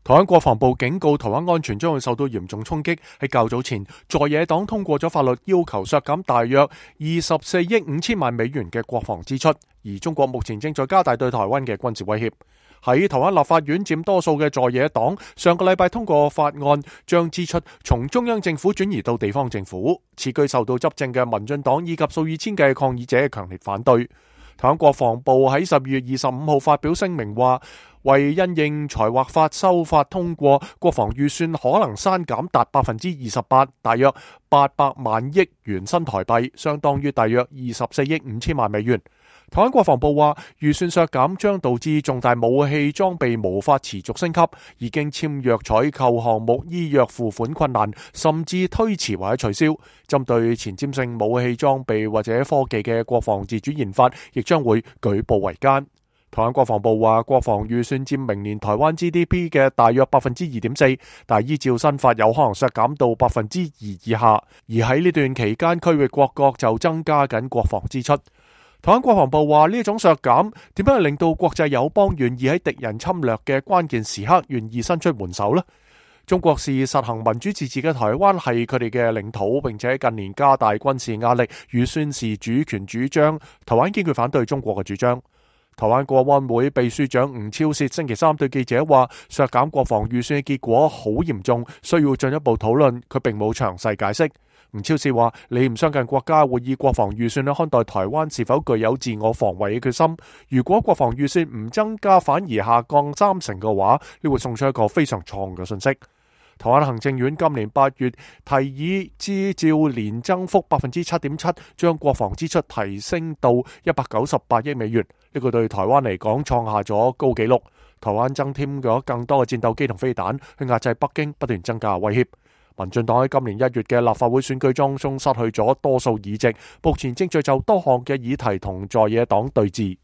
台灣國防部警告台灣安全將會受到嚴重衝擊。喺較早前，在野黨通過咗法律，要求削減大約24億5千萬美元嘅國防支出。而中國目前正在加大對台灣嘅軍事威脅。喺台灣立法院佔多數嘅在野黨，上個禮拜通過法案，將支出從中央政府轉移到地方政府。此舉受到執政嘅民進黨以及數以千計抗議者強烈反對。台灣國防部喺12月25號發表聲明話，為因應財劃法修法通過，國防預算可能刪減達28%，大約800萬億元新台幣，相當於大約24億5千萬美元。台灣國防部話，預算削減將導致重大武器裝備無法持續升級，已經簽約採購項目依約付款困難，甚至推遲或者取消。針對前瞻性武器裝備或者科技嘅國防自主研發，亦將會舉步維艱。台灣國防部話，國防預算佔明年台灣 GDP 嘅大約2.4%，但依照新法有可能削減到2%以下。而喺呢段期間，區域各國就增加緊國防支出。台灣國防部話，呢種削減點樣令到國際友邦願意喺敵人侵略嘅關鍵時刻願意伸出援手呢？中國視實行民主自治嘅台灣係佢哋嘅領土，並且近年加大軍事壓力與宣示主權主張。台灣堅決反對中國嘅主張。台灣國安會秘書長吳釗燮星期三對記者話，削減國防預算嘅結果好嚴重，需要進一步討論。佢並冇詳細解釋。吳釗燮話，你唔相近國家會以國防預算去看待台灣是否具有自我防衛嘅決心。如果國防預算唔增加反而下降30%嘅話，呢會送出一個非常錯誤嘅信息。台灣行政院今年8月提議依照年增幅7.7%，將國防支出提升到198億美元。呢個對台灣嚟講創下咗高紀錄。台灣增添咗更多嘅戰鬥機同飛彈，去壓制北京不斷增加威脅。民進黨喺今年1月嘅立法會選舉當中失去咗多數議席，目前正在就多項嘅議題同在野黨對峙。